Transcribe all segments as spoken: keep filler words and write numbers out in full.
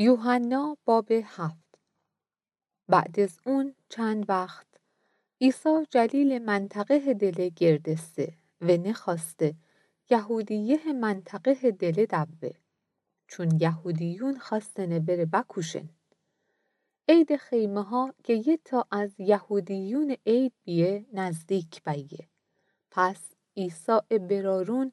یوحنا باب هفت. بعد از اون چند وخت، عیسی جلیلٚ منطقهٚ دله گردسته و نخوأسته یهودیهٚ منطقهٚ دله دوه، چون یهودیون خوأستنه وره بکوشن. عیدٚ خیمه‌ها که یه تا از یهودیونٚ عید بیه، نزدیک بأیه. پس عیسی ا برارون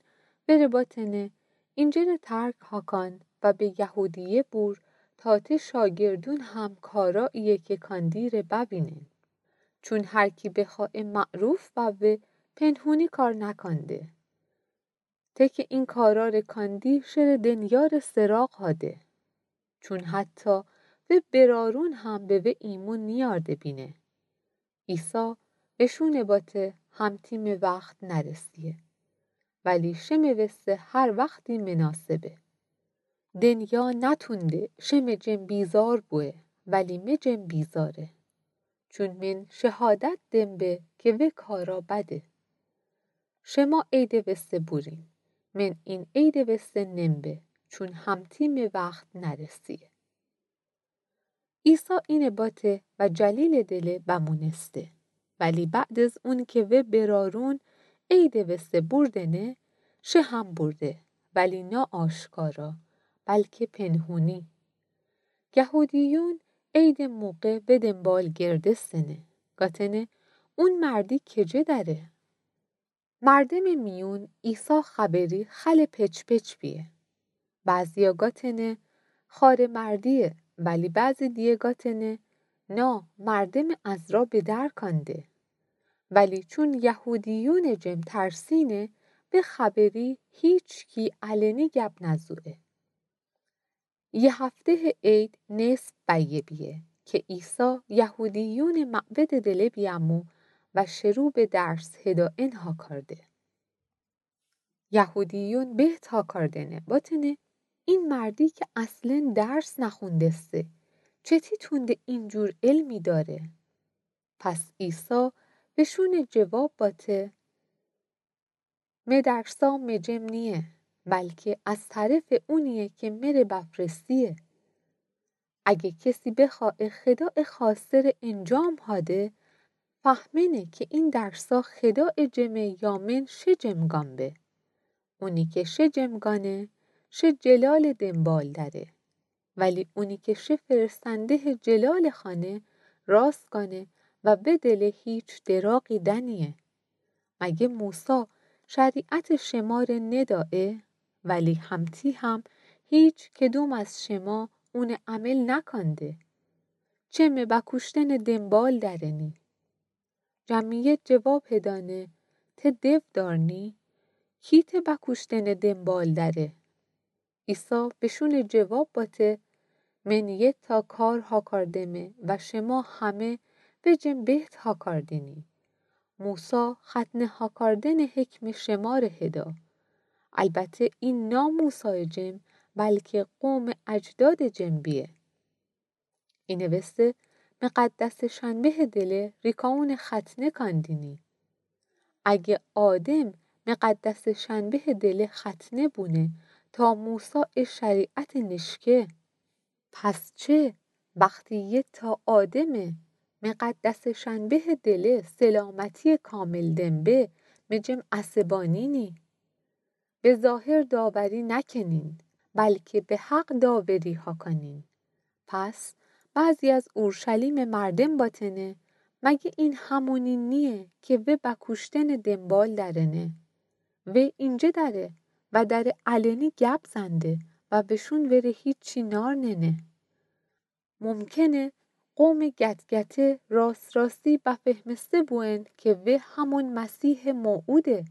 وره باتنه، اینجره ترک هاکان و به یهودیه بور، تا ته شاگردون هم کاراییی که کاندی ره ببینن. چون هر کی بخوأ ا معروف بوه، پنهونی کار نکانده. ته که این کارا ره کاندی، شره دنیا ره سراغ هاده. چون حتی وه برارون هم به وه ایمون نیأرده بینه. عیسی وشونه باته، همتی مه وخت نرسیه، ولی شه مه وسه هر وختی مناسبه. دنیا نتونده شه مه جم بیزار بوه، ولی مه جم بیزاره. چون من شهادت دم به که وه کارا بده. شما عیدٚ وسه بورین، من این عیدٚ وسه نم به، چون همتی مه وخت نرسیه. عیسی اینه باته و جلیلٚ دله بمونسته. ولی بعد از اون که وه برارون عیدٚ وسه بوردنه، شه هم بورده، ولی نه آشکارا، بلکه پنهونی. یهودیون عیدٚ موقع وه دنبال گردستنه، گاتنه، اون مردی کجه دأره؟ مردمٚ میون عیسی خبری خلٚ پچ‌پچ بیه. بعضیا گاتنه، خوأرٚ مردییه، ولی بعضی دیه گاتنه، نا، مردمٚ از را بدر کانده. ولی چون یهودیونٚ جم ترسینه، به خبری هیچکی علنی گب نزویه. یه هفتهٚ عید نصف بأیه بیه که عیسی یهودیونٚ معبدٚ دله بیأمو و شروع به درس هدایئن هاکارده. یهودیون بهت هاکاردنه، باتنه، این مردی که اصلا درس نخوندسته، چتی تونده اینجور علمی دأره؟ پس عیسی وشونه جواب باته، مه درسا مه جم نییه، بلکه از طرفٚ اونییه که مره بفرستییه. اگه کسی بخوأ ا خدایٚ خوأسته ره انجام هاده، فهمنه که این درسا خدایٚ جمه یا من شه جم گان به. اونی که شه جم گانه، شه جلالٚ دنبال دأره. ولی اونی که شه فرستندهٚ جلالٚ خوأنه، راست گانه و به دله هیچ دراغی دأنییه. مگه موسی شریعتٚ شمره ندأیه؟ ولی همتی هم هیچ کدوم از شما اونه عمل نکانده. چه مه بکوشتنٚ دنبال دأرهنی؟ جمعیت جواب هدأنه، ته دو دارنی؟ کی ته بکوشتنٚ دنبال دأره؟ عیسی بشونه جواب باته، من یه تا کار هاکاردمه و شما همه به جم بهت هاکاردینی. موسی ختنه هاکاردنٚ حکمٚ شمره هدا. البته این نا موسایٚ جم، بلکه قومٚ اجدادٚ جم بیه. اینه وسه مقدسٚ شنبهٚ دله ریکاونه ختنه کاندینی. اگه آدم مقدسٚ شنبهٚ دله ختنه بونه تا موسی ا شریعته نیشکه، پس چه وختی یه تا آدمه مقدسٚ شنبهٚ دله سلامتییٚ کامل دمبه مه جم عصبانینی؟ به ظاهر داوری نکنین، بلکه به حق داوری هاکانین. پس بعضی از اورشلیمٚ مردم باتنه، مگه این همونی نییه که وه بکوشتنٚ دنبال دأرنه؟ وه اینجه دأره و دأره علنی گب زنده و وشون وره هیچی نارننه. ممکنه قومٚ گتگته راست راستی بفهمسته بوئن که وه همون مسیحٚ موعوده.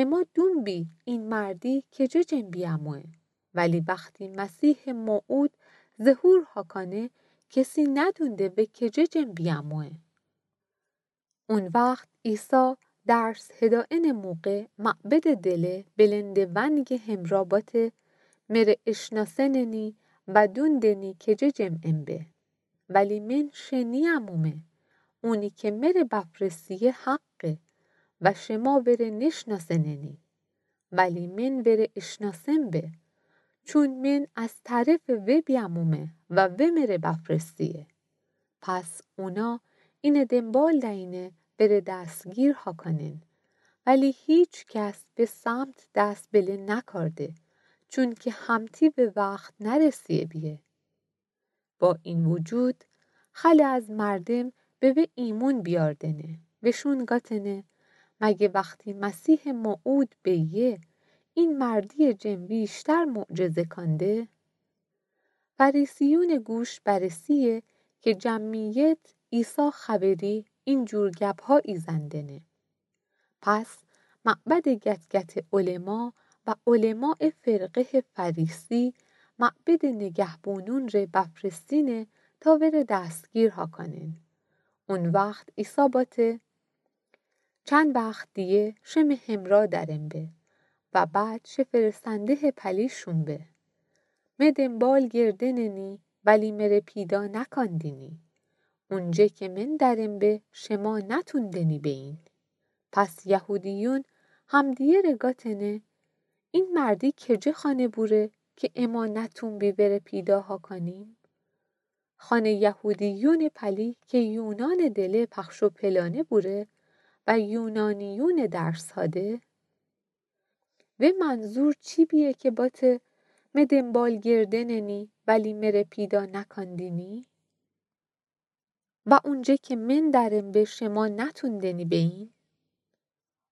اما دون بی این مردی کجه جم بیأموئه، ولی وختی مسیحٚ موعود ظهور هاکانه، کسی ندونده وه کجه جم بیأموئه. اون وخت عیسی درس هدایئنٚ موقع معبدٚ دله بلندٚ ونگٚ همرا باته، مره اشناسننی و دون دنی کجه جم امبه. ولی من شه نیأمومه. اونی که مره بفرستییه حقه و شما وره نشناسننی. ولی من وره اشناسم به. چون من از طرفٚ وی بیامومه و وی مره بفرستیه. پس اونا اینه دنبال دأینه وره دستگیر هاکانن، ولی هیکس به سمت دس بله نکارده، چونکی همتی به وخت نرسیه بیه. با این وجود، خلع از مردم به وی ایمون بیاردنه، وشون گاتنه: مگه وختی مسیحٚ موعود بیه، این مردیٚ جم ویشتر معجزه کانده؟ فریسیونٚ گوش برسیه که جمعیت عیسی خبری این جور گبها ایزندنه. پس معبدٚ گتگتٚ علما و علمایٚ فرقهٚ فریسی معبدٚ نگهبونون ره بفرستینه تا وره دستگیر هاکانن. او وخت عیسی باته: چند وخت دیه شه می همرأ درم به و بعد شه فرستندهٚ پلی شون به. می دنبال گردننی، ولی مره پیدا نکاندینی. اونجه که من درم به، شما نتوندنی بئین. پس یهودیون همدیگره گاتنه: این مردی کجه خانه بوره که اما نتونبی وره پیدا هاکانیم؟ خانه یهودیونٚ پلی که یونانٚ دله پخش و پلانه بوره و یونانیونٚ درس هاده؟ وی منظور چی بیه که باته: می دنبال گردننی، ولی مره پیدا نکاندینی؟ و اونجه که من درم به، شما نتوندنی بئین؟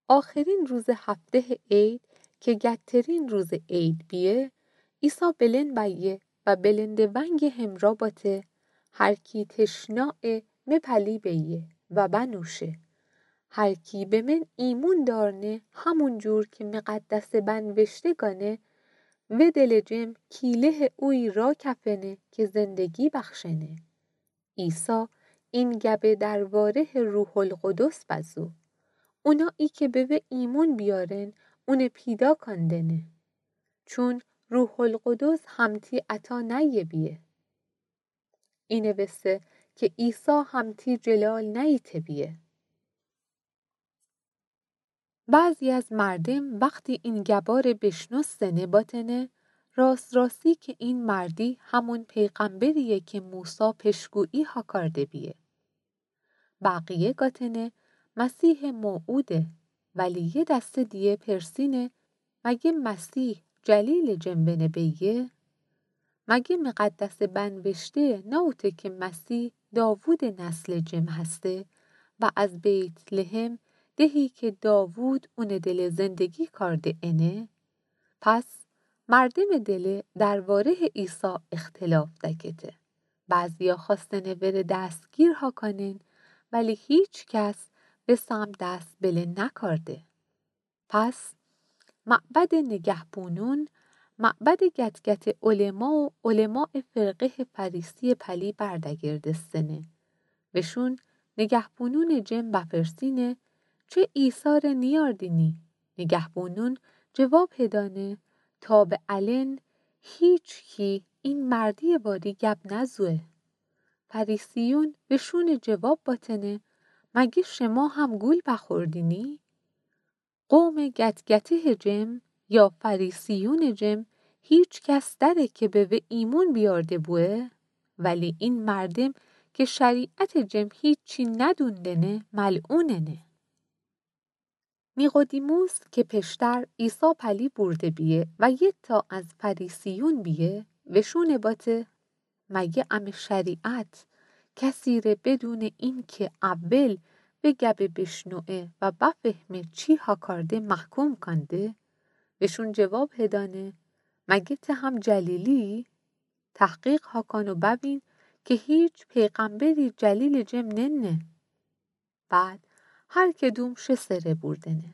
آخرین روزٚ هفتهٚ عید که گدترین روزٚ عید بیه، عیسی بلند بأیه و بلندٚ ونگٚ همرأ باته: هر کی تشنایه، می پلی بیه و بنوشه. هر کی به من ایمون دأرنه، همون جور که مقدسٚ بنوشته گانه، وی دلٚ جم کیلهٚ اویی راکفنه که زندگی بخشنه. عیسی این گبه دربارهٚ روح‌القدس بزو. اونایی که به وی ایمون بیارن، اونه پیدا کاندنه. چون روح‌القدس همتی عطا نأیه بیه. اینه وسه که عیسی همتی جلال نأییته بیه. بعضی از مردم وختی این گباره بیشنوستنه باتنه: راست راستی که این مردی همون پیغمبریه که موسی پشگویی هاکارده بیه. بقیه گاتنه: مسیحٚ موعوده. ولی یه دسته دیگه پرسینه: مگه مسیح جلیلٚ جم ونه بیه؟ مگه مقدسٚ بنوشته نأوته که مسیح داوودٚ نسلٚ جم هسته و از بیت‌لحم، دهی که داوود اونٚ دله زندگی کارده، انه؟ پس مردمٚ دله دربارهٚ عیسی اختلاف دکته. بعضیا خوأستنه وره دستگیر هاکانن، ولی هیکس به سمت دس بله نکارده. پس معبدٚ نگهبونون، معبدٚ گتگتٚ علما و علمایٚ فرقهٚ فریسیٚ پلی بردگردستنه. وشون نگهبونونٚ جم بپرسینه: چه عیسی‌ره نیأردینی؟ نگهبونون جواب هدأنه: تا به الأن هیکس این مردیٚ واری گب نزوه. فریسیون وشونٚ جواب باتنه: مگه شما هم گول بخوردینی؟ قومٚ گتگتهٚ جم یا فریسیونٚ جم هیکس دأره که به وی ایمون بیارده بوه؟ ولی این مردم که شریعتٚ جم هیچی ندوندنه، ملعوننه. نیقودیموس که پیشتر عیسی پلی بورده بیه و یه تا از فریسیون بیه، وشونه باته: مگه امه شریعت کسی‌ره بدونٚ اینکه اول وی گبه بیشنوه و بفهمه چی هاکارده محکوم کانده؟ وشون جواب هدأنه: مگه ته هم جلیلی‌یی؟ تحقیق هاکان و ببین که هیچ پیغمبری جلیلٚ جم ننه. بعد هر کدوم شه سره بوردنه.